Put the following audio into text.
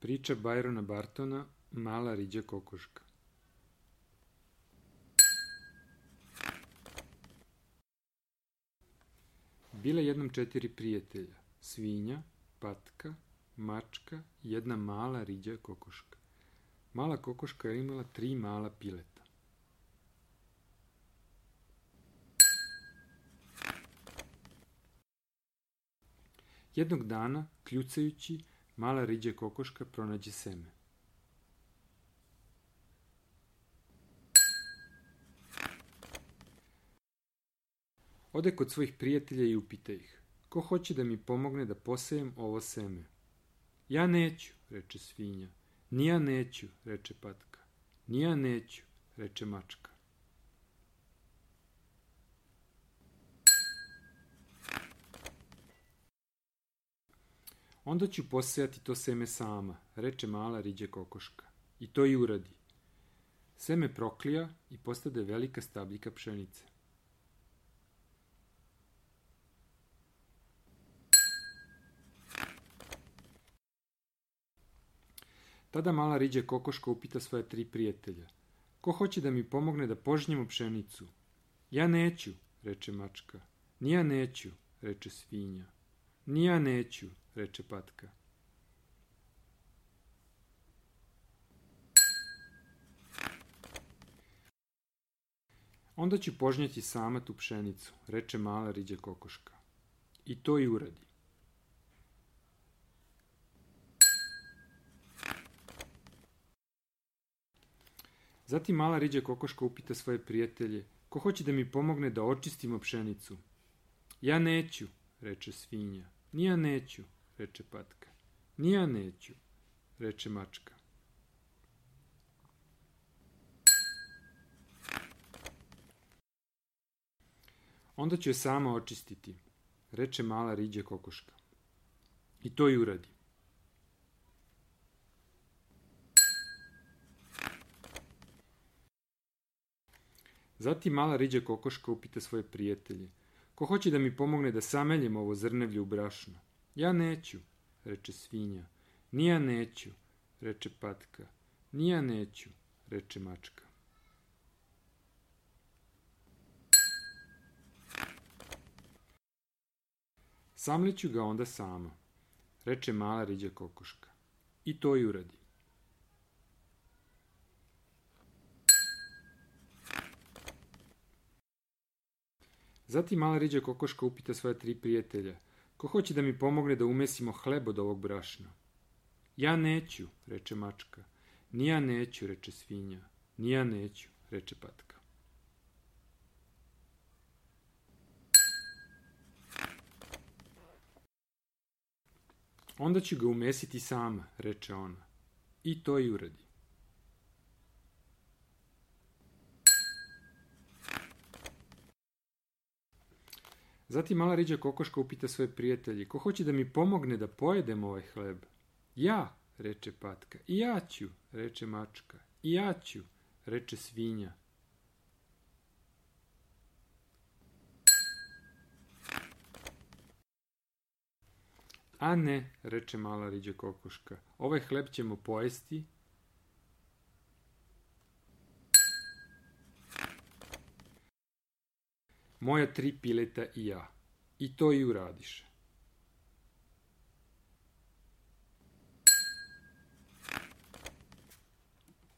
Priča Byrona Bartona, Mala riđa kokoška. Bile jednom 4 prijatelja, svinja, patka, mačka i jedna mala riđa kokoška. Mala kokoška je imala 3 mala pileta. Jednog dana, kljucajući, mala riđa kokoška pronađe seme. Ode kod svojih prijatelja i upita ih: ko hoće da mi pomogne da posejem ovo seme? Ja neću, reče svinja. Ni ja neću, reče patka. Ni ja neću, reče mačka. Onda ću posejati to seme sama, reče mala riđa kokoška. I to i uradi. Seme proklija i postade velika stabljika pšenice. Tada mala riđa kokoška upita svoja 3 prijatelja: ko hoće da mi pomogne da požnjemo pšenicu? Ja neću, reče mačka. Ni ja neću, reče svinja. Ni ja neću, reče patka. Onda ću požnjati sama tu pšenicu, reče mala riđa kokoška. I to i uradi. Zatim mala riđa kokoška upita svoje prijatelje: ko hoće da mi pomogne da očistimo pšenicu? Ja neću, reče svinja. Ni ja neću, reče patka. Ni ja neću, reče mačka. Onda ću je sama očistiti, reče mala riđa kokoška. I to i uradi. Zatim mala riđa kokoška upita svoje prijatelje: ko hoće da mi pomogne da sameljem ovo zrnevlje u brašno? Ja neću, reče svinja. Ni ja neću, reče patka. Ni ja neću, reče mačka. Samliću ga onda sama, reče mala riđa kokoška. I to i uradi. Zatim mala riđa kokoška upita svoja 3 prijatelja: ko hoće da mi pomogne da umesimo hleb od ovog brašna? Ja neću, reče mačka. Ni ja neću, reče svinja. Ni ja neću, reče patka. Onda ću ga umesiti sama, reče ona. I to i uradi. Zatim mala riđa kokoška upita svoje prijatelje: ko hoće da mi pomogne da pojedem ovaj hleb? Ja, reče patka. I ja ću, reče mačka. I ja ću, reče svinja. A ne, reče mala riđa kokoška. Ovaj hleb ćemo pojesti moja 3 pileta i ja. I to i uradiše.